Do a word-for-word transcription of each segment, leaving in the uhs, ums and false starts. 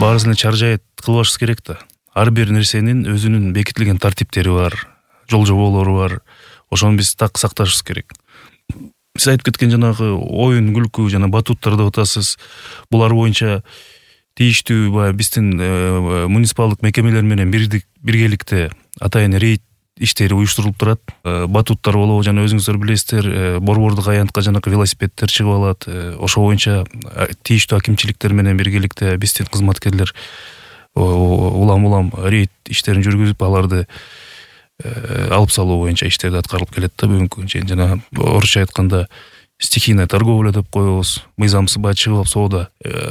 баарысын эле чаржайыт кылбашыбыз керек да. Ар бир нерсенин өзүнүн бекитилген тартиптери бар, жол жоболору бар. Ошону биз так сакташыбыз керек. Сиз айтып кеткен жанагы оюн күлкү жана батуттар деп атасыз. Булар боюнча тийиштүү баягы биздин муниципалдык мекемелер менен бирдик биргеликте атайын рейд иштери уюштурулуп турат. Батуттар болобу жана өзүңүздөр билесиздер, борбордук аянтка жанагы велосипедтер чыгып алат. Ошо боюнча тийиштүү акимчиликтер менен биргеликте биздин кызматкерлер улам-улам рейд иштерин жүргүзүп, аларды алып салуу боюнча иштерди аткарылып келет да бүгүнкү күнгө чейин. Жана орусча айтканда стихийная торговля деп коебуз. Мыйзамсыз баягы чыгып алып соода,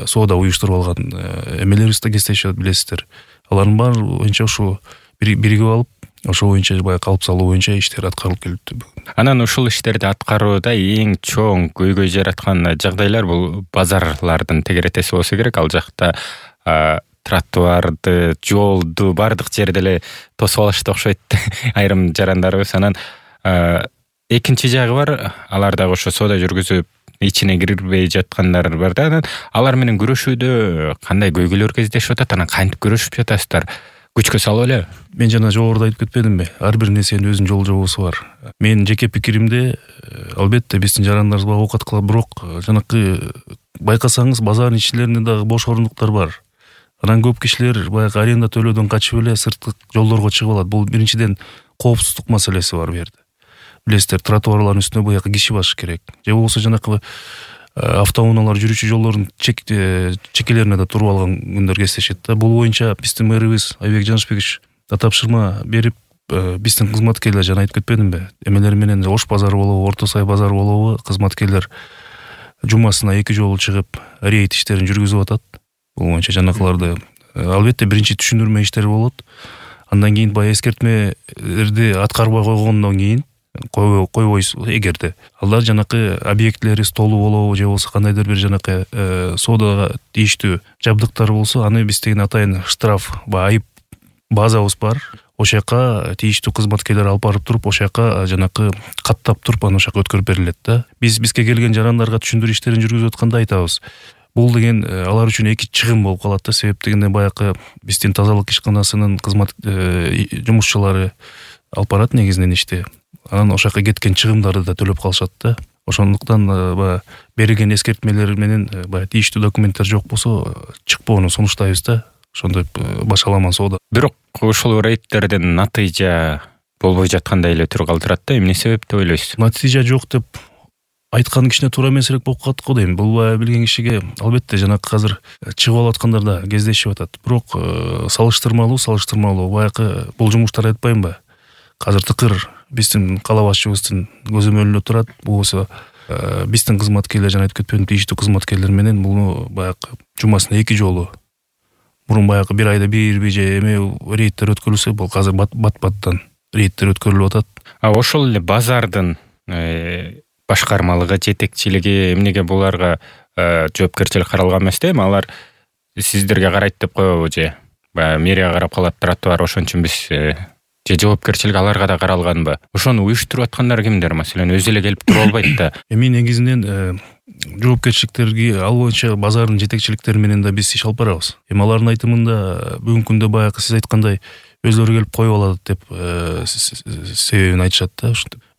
соода уюштуруп алган эмелерибиз да кездешет, билесиздер. Алардын баары боюнча ушу биригип алып, ошо боюнча баягы алып салуу боюнча иштер аткарылып келиптир. Анан ушул иштерди аткарууда эң чоң көйгөй жараткан жагдайлар бул базарлардын тегеретеси болсо керек. Ал жакта тротуарды, жолду бардык жерде эле тосуп алышты окшойт айрым жарандарыбыз. Анан экинчи жагы бар, алар дагы ошо соода жүргүзүп ичине кирбей жаткандар бар да. Анан алар менен күрөшүүдө кандай көйгөйлөр кездешип атат? Анан кантип күрөшүп жатасыздар? Күчкө салып эле. Мен жана жогоруда айтып кетпедимби? Ар бир нерсенин өзүнүн жол жобосу бар. Менин жеке пикиримде, албетте биздин жарандарыбыз багы оокат кылат, бирок жанакы байкасаңыз базардын ичилеринде дагы бош орундуктар бар. Анан көп кишилер баягы аренда төлөөдөн качып эле сырткы жолдорго чыгып алат. Бул биринчиден коопсуздук маселеси бар бу жерде. Билесиздер, тротуарлардын үстүнө баягы киши басыш керек. Же болбосо жанакы автоунаалар жүрүүчү жолдордун чекелерине да туруп алган күндөр кездешет да. Бул боюнча биздин мэрибиз Айбек Жанышбекович да тапшырма берип, биздин кызматкерлер жана айтып кетпедимби? Эмелер менен Ош базары болобу, Орто Сай базары болобу, кызматкерлер жумасына эки жолу чыгып рейд иштерин жүргүзүп атат. Бул боюнча жанакыларды албетте биринчи түшүндүрмө иштери болот. Андан кийин баягы эскертмелерди аткарбай койгондон кийин койбойсуз эгерде алар жанакы объектлери столу болобу же болбосо кандайдыр бир жанакы соодага тийиштүү жабдыктар болсо, аны биз деген атайын штраф ба айып базабыз бар. Ошол жака тийиштүү кызматкерлер алып барып туруп, ошол жака жанакы каттап туруп, аны ошол жака өткөрүп берилет да. Биз бизге келген жарандарга түшүндүрүү иштерин жүргүзүп атканда айтабыз. Бул деген алар үчүн эки чыгым болуп калат да. Себеп дегенде баягы биздин тазалык ишканасынын кызмат жумушчулары алып барат негизинен ишти. Анан ошол жака кеткен чыгымдарды да төлөп калышат да. Ошондуктан баягы берилген эскертмелер менен баягы тийиштүү документтер жок болсо чыкпоону сунуштайбыз да. Ошондой башаламан соода. Бирок ушул рейдтерден натыйжа болбой жаткандай эле түр калтырат да. Эмне себеп деп ойлойсуз? Натыйжа жок деп айткан кишине туура эмесирээк болуп калат го дейм. Бул баягы билген кишиге албетте жанакы азыр чыгып алып аткандар да кездешип атат. Бирок салыштырмалуу, салыштырмалуу баягы бул жумуштар айтпаймынбы? Азыр тыкыр биздин кала башчыбыздын көзөмөлүндө турат. Бул болсо биздин кызматкерлер жана айтып кетпедим, тийиштүү кызматкерлер менен муну баягы жумасына эки жолу. Мурун баягы бир айда бир бир же эме рейдтер өткөрүлсө, бул азыр бат-баттан рейдтер өткөрүлүп атат. А ошол эле базардын башкармалыгы, жетекчилиги эмнеге буларга жоопкерчилик каралган эмес да? Эми алар сиздерге карайт деп коебу же мэрия карап калат, тротуар ошон үчүн биз же жоопкерчилик аларга да каралганбы? Ошону уюштуруп аткандар кимдер? Маселен, өзү эле келип туруп албайт да. Эми негизинен жоопкерчиликтерги ал боюнча базардын жетекчиликтери менен да биз иш алып барабыз. Эми алардын айтымында бүгүнкү күндө баягы сиз айткандай өзлөрү келип коюп алат деп себебин айтышат да.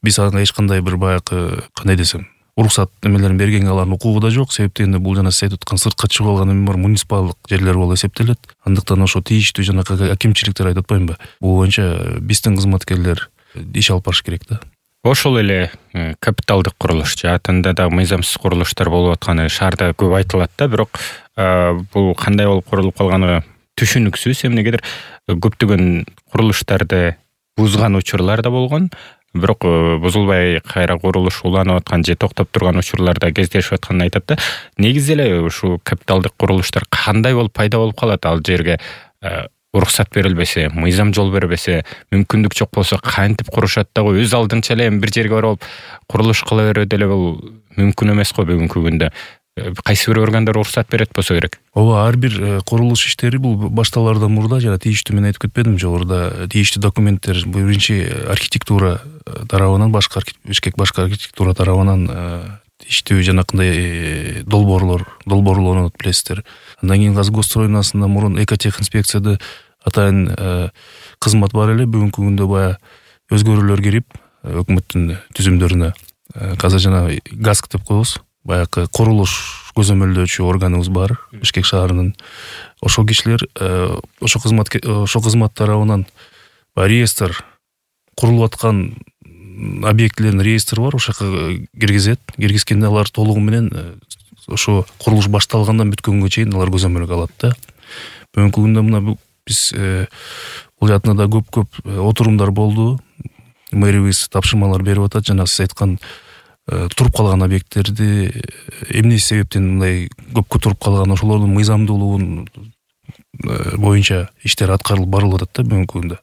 Биз ага эч кандай бир баягы кандай десем, уруксат эмелерин бергенге алардын укугу да жок. Себеп дегенде бул жана сиз айтып аткан сыртка чыгып алган эме бар, муниципалдык жерлер болуп эсептелет. Андыктан ошо тийиштүү жанакы акимчиликтер айтып атпаймынбы? Бул боюнча биздин кызматкерлер иш алып барыш керек да. Ошол эле капиталдык курулуш жаатында да мыйзамсыз курулуштар болуп атканы шаарда көп айтылат да. Бирок бул кандай болуп курулуп калганы түшүнүксүз. Эмнегедир көптөгөн курулуштарды бузган учурлар да болгон. Бирок бузулбай кайра курулуш уланып аткан же токтоп турган учурларда кездешип атканын айтат да. Негизи эле ушул капиталдык курулуштар кандай болуп пайда болуп калат? Ал жерге уруксат берилбесе, мыйзам жол бербесе, мүмкүндүк жок болсо кантип курушат дагы? Өз алдынча эле бир жерге барып курулуш кыла берүү деле бул мүмкүн эмес го бүгүнкү күндө. Кайсы бир органдар уруксат берет болсо керек. Ооба, ар бир курулуш иштери бул башталаардан мурда жана тийиштүү мен айтып кетпедим жогоруда, тийиштүү документтер биринчи архитектура тарабынан, башкы Бишкек башкы архитектура тарабынан иштөө жанакындай долбоорлор долбоорлонот билесиздер. Андан кийин Казгосстройнасында мурун экотехинспекцияда атайын кызмат бар эле. Бүгүнкү күндө баягы өзгөрүүлөр кирип өкмөттүн түзүмдөрүнө казыр жана ГАСК деп коебуз. Баягы курулуш көзөмөлдөөчү органыбыз бар Бишкек шаарынын. Ошол кишилер ошо кызмат ошо кызмат тарабынан реестр курулуп аткан объектилердин реестрі бар, ошо жака киргизет. Киргизгенде алар толугу менен ошо курулуш башталгандан бүткөнгө чейин алар көзөмөлгө алат да. Бүгүнкү күндө мына биз бул жакында да көп-көп отурумдар болду. Мэрибиз тапшырмалар берип атат. Жана сиз айткан туруп калган объекттерди эмне себептен мындай көпкө туруп калган, ошолордун мыйзамдуулугун боюнча иштер аткарылып барылып атат да бүгүнкү күндө.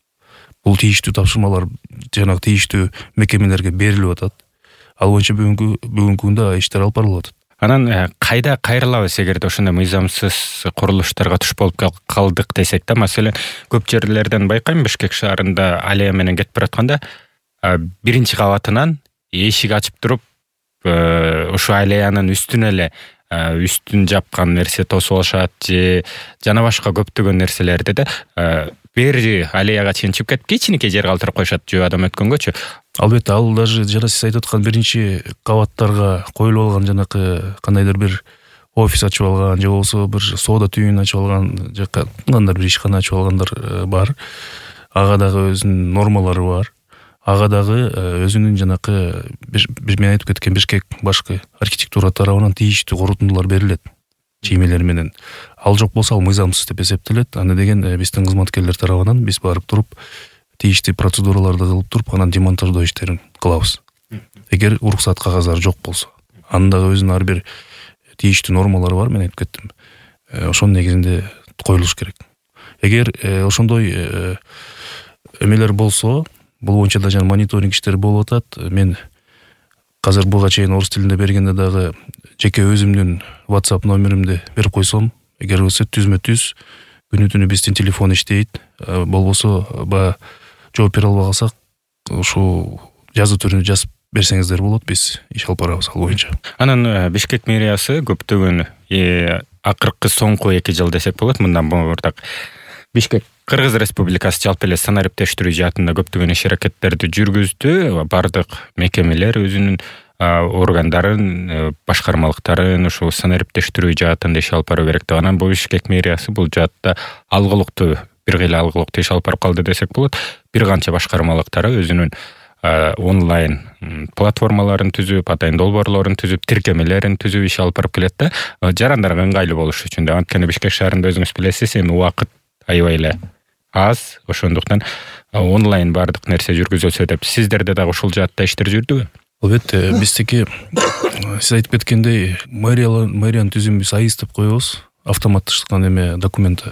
Бул тийиштүү тапшырмалар жанагы тийиштүү мекемелерге берилип атат. Ал боюнча бүгүнкү бүгүнкү күндө иштер алып барылып атат. Анан кайда кайрылабыз эгерде ошондой мыйзамсыз курулуштарга туш болуп калдык десек да, маселен, көп жерлерден байкайм, Бишкек шаарында аллея менен кетип баратканда биринчи кабатынан эшик ачып туруп, ошо аллеянын үстүнө эле үстүн жапкан нерсе тосуп алышат же жана башка көптөгөн нерселерди да бери аллеяга чейин чыгып кетип кичинекей жер калтырып коюшат жөө адам өткөнгөчү. Албетте, ал даже жана сиз айтып аткан биринчи кабаттарга коюлуп алган жанакы кандайдыр бир офис ачып алган же болбосо бир соода түйүнүн ачып алган же кандайдыр бир ишкана ачып алгандар бар. Ага дагы өзүнүн нормалары бар. Ага дагы өзүнүн жанакы мен айтып кеткен Бишкек башкы архитектура тарабынан тийиштүү корутундулар берилет чеймелер менен. Ал жок болсо ал мыйзамсыз деп эсептелет. Аны деген биздин кызматкерлер тарабынан биз барып туруп тийиштүү процедураларды кылып туруп анан демонтаждоо иштерин кылабыз. Эгер уруксат кагаздары жок болсо, анын дагы өзүнүн ар бир тийиштүү нормалары бар, мен айтып кеттим. Ошонун негизинде коюлуш керек. Эгер ошондой эмелер болсо, бул боюнча да жана мониторинг иштери болуп атат. Мен азыр буга чейин орус тилинде бергенде дагы жеке өзүмдүн WhatsApp номеримди берип койсом, эгер болсо түзмө-түз күнү-түнү биздин телефон иштейт. Болбосо баягы жооп бере албай калсак, ушул жазуу түрүндө жазып берсеңиздер болот, биз иш алып барабыз ал боюнча. Анан Бишкек мэриясы көптөгөн акыркы соңку эки жыл десек болот, мындан мурдак Бишкек Кыргыз Республикасы жалпы эле санариптештирүү жаатында көптөгөн иш аракеттерди жүргүздү. Бардык мекемелер өзүнүн органдарын, башкармалыктарын ушул санариптештирүү жаатында иш алып баруу керек деп. Анан бул Бишкек мэриясы бул жаатта алгылыктуу, бир кыйла алгылыктуу иш алып барып калды десек болот. Бир канча башкармалыктары өзүнүн онлайн платформаларын түзүп, атайын долбоорлорун түзүп, тиркемелерин түзүп иш алып барып келет да. Жарандарга ыңгайлуу болуш үчүн да. Анткени Бишкек шаарында өзүңүз билесиз, эми убакыт аябай эле аз, ошондуктан онлайн бардык нерсе жүргүзүлсө деп. Сиздерде дагы ушул жаатта иштер жүрдүбү? Албетте, биздики сиз айтып кеткендей мэриянын түзүмүн биз АИС деп коебуз. Автоматташкан эме документ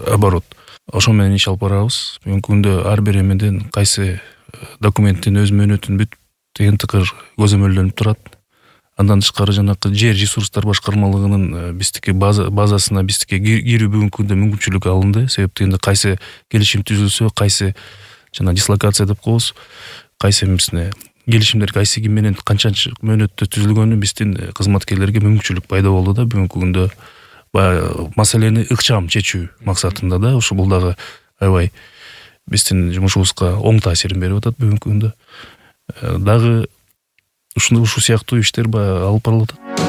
оборот. Ошо менен иш алып барабыз. Бүгүнкү күндө ар бир эмеден кайсы документтин өз мөөнөтүн бүт деген тыкыр көзөмөлдөнүп турат. Андан тышкары жанакы жер ресурстар башкармалыгынын биздики базасына биздики кирүү бүгүнкү күндө мүмкүнчүлүк алынды. Себеп дегенде кайсы келишим түзүлсө, кайсы жана дислокация деп коебуз, кайсы эмесине келишимдер кайсы ким менен канчанчы мөөнөттө түзүлгөнү биздин кызматкерлерге мүмкүнчүлүк пайда болду да бүгүнкү күндө баягы маселени ыкчам чечүү максатында да. Ушу бул дагы аябай биздин жумушубузга оң таасирин берип атат бүгүнкү күндө. Дагы ушундый ушул сыяктуу иштер баягы алып барылып атат.